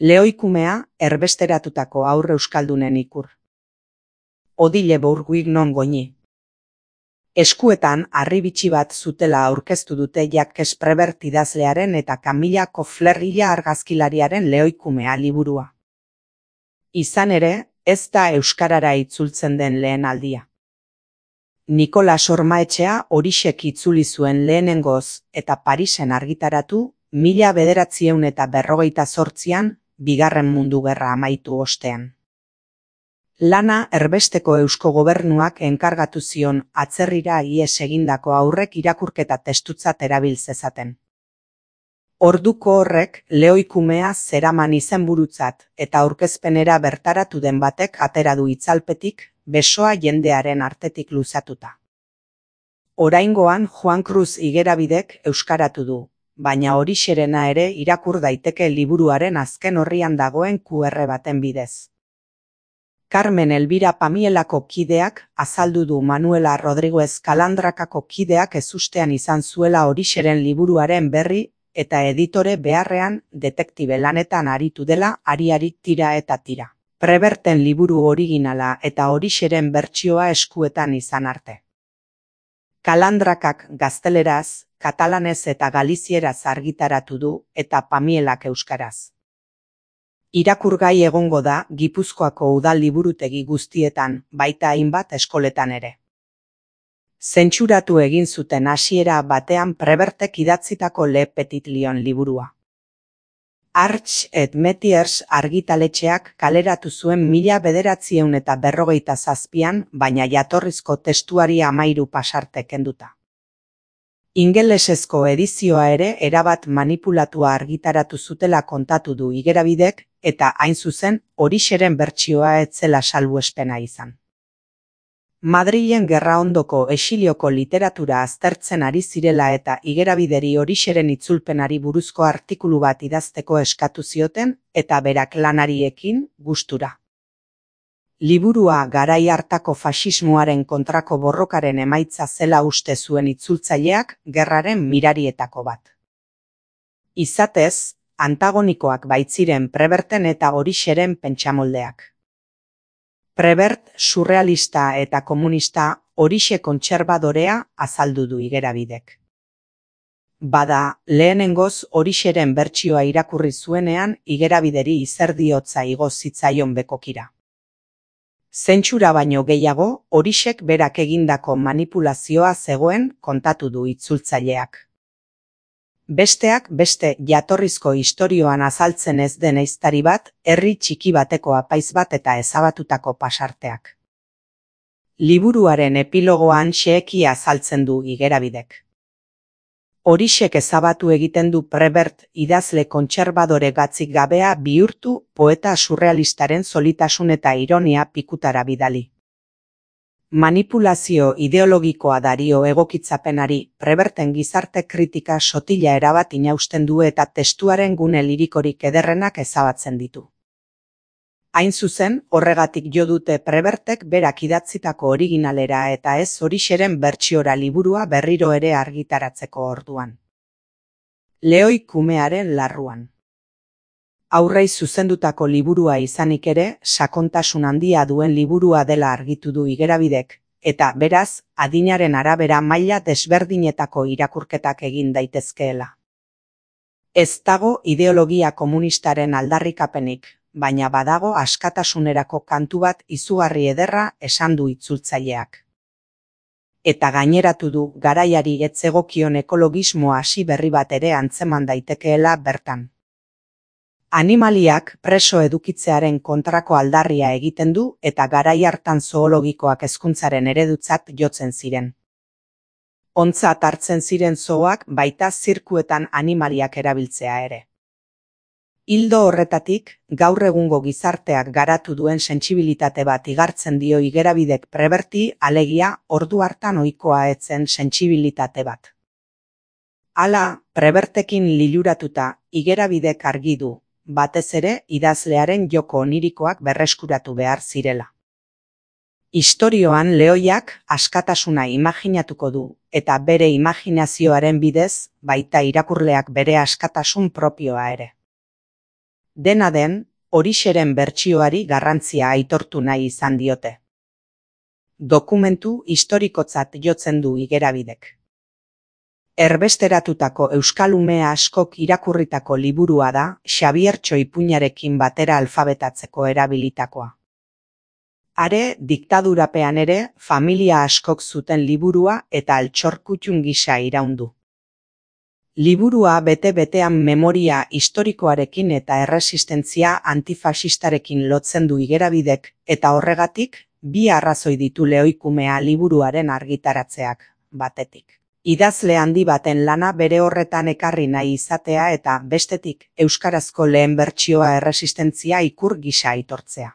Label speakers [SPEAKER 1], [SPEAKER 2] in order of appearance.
[SPEAKER 1] Lehoikumea erbesteratutako haur euskaldunen ikur. Odile Bourguignon goñi. Eskuetan harri bitxi bat zutela aurkeztu dute Jacques Prévert idazlearen eta Camilla Koffler ila argazkilariaren Lehoikumea liburua. Izan ere, ez da euskarara itzultzen den lehen aldia. Nikolas Ormaetxea horixek itzuli zuen lehenengoz eta Parisen argitaratu 1948an, Bigarren Mundu Gerra amaitu ostean. Lana erbesteko Eusko Gobernuak enkargatu zion atzerrira ihes egindako haurrek irakurketa testutzat erabil zezaten. Orduko horrek Lehoikumea zeraman izenburutzat eta aurkezpenera bertaratu den batek atera du itzalpetik, besoa jendearen artetik luzatuta. Oraingoan Juan Cruz Igerabidek euskaratu du, baina horixerena ere irakur daiteke liburuaren azken orrian dagoen QR baten bidez. Carmen Elvira Pamielako kideak azaldu du Manuela Rodriguez Calandrakako kideak ezustean izan zuela horixeren liburuaren berri eta editore beharrean detektibe lanetan aritu dela ari tira eta tira. Préverten liburu originala eta horixeren bertsioa eskuetan izan arte. Calandrakak gazteleraz, katalanez eta galizieraz argitaratu du eta Pamielak euskaraz. Irakurgai egongo da Gipuzkoako udal liburutegi guztietan, baita hainbat eskoletan ere. Zentsuratu egin zuten hasiera batean Prévertek idatzitako Le Petit Lion liburua. Arch et Metiers argitaletxeak kaleratu zuen 1957an, baina jatorrizko testuari 13 pasarte kenduta. Ingelesezko edizioa ere erabat manipulatua argitaratu zutela kontatu du Igerabidek, eta hain zuzen horixeren bertsioa ez zela salbuespena izan. Madrilen gerraondoko exilioko literatura aztertzen ari zirela eta Igerabideri horixeren itzulpenari buruzko artikulu bat idazteko eskatu zioten eta berak lanariekin gustura. Liburua garai hartako faxismoaren kontrako borrokaren emaitza zela uste zuen itzultzaileak gerraren mirarietako bat. Izatez, antagonikoak baitziren Préverten eta horixeren pentsamoldeak. Prévert surrealista eta komunista, horixe kontserbadorea azaldu du Igerabidek. Bada, lehenengoz horixeren bertsioa irakurri zuenean Igerabideri izerdiotza igo zitzaion bekokira. Zentsura baino gehiago, horixek berak egindako manipulazioa zegoen kontatu du itzultzaileak. Besteak beste jatorrizko istorioan azaltzen ez den ehiztari bat, herri txiki bateko apaiz bat eta ezabatutako pasarteak. Liburuaren epilogoan xeheki azaltzen du Igerabidek. Horixek ezabatu egiten du Prévert idazle kontserbadore gatzik gabea bihurtu poeta surrealistaren solitasun eta ironia pikutara bidali. Manipulazio ideologikoa dario egokitzapenari, Préverten gizarte kritika sotila erabat inausten du eta testuaren gune lirikorik ederrenak ezabatzen ditu. Hain zuzen, horregatik jo dute Prévertek berak idatzitako originalera eta ez horixeren bertsiora liburua berriro ere argitaratzeko orduan. Lehoikumearen larruan. Haurrei zuzendutako liburua izanik ere, sakontasun handia duen liburua dela argitu du Igerabidek, eta beraz, adinaren arabera maila desberdinetako irakurketak egin daitezkeela. Ez dago ideologia komunistaren aldarrikapenik, baina badago askatasunerako kantu bat izugarri ederra esan du itzultzaileak. Eta gaineratu du garaiari ez zegokion ekologismo hasi berri bat ere antzeman daitekeela bertan. Animaliak preso edukitzearen kontrako aldarria egiten du eta garai hartan zoologikoak hezkuntzaren eredutzat jotzen ziren. Ontzat hartzen ziren zooak baita zirkuetan animaliak erabiltzea ere. Ildo horretatik, gaur egungo gizarteak garatu duen sentsibilitate bat igartzen dio Igerabidek Préverti, alegia ordu hartan ohikoa ez zen sentsibilitate bat. Hala, Prévertekin liluratuta, Igerabidek argi du, batez ere idazlearen joko onirikoak berreskuratu behar zirela. Istorioan lehoiak askatasuna imaginatuko du, eta bere imaginazioaren bidez, baita irakurleak bere askatasun propioa ere. Dena den, Orixeren bertsioari garrantzia aitortu nahi izan diote. Dokumentu historikotzat jotzen du Igerabidek. Erbesteratutako euskalume askok irakurritako liburua da Xabiertxo ipuinarekin batera alfabetatzeko erabilitakoa. Are, diktadurapean ere, familia askok zuten liburua eta altxorkutxun gisa iraundu. Liburua bete-betean memoria historikoarekin eta erresistentzia antifasistarekin lotzen du Igerabidek, eta horregatik, bi arrazoi ditu Lehoikumea liburuaren argitaratzeak, batetik. Idazle handi baten lana bere horretan ekarri nahi izatea eta, bestetik, euskarazko lehen bertsioa erresistentzia ikur gisa aitortzea.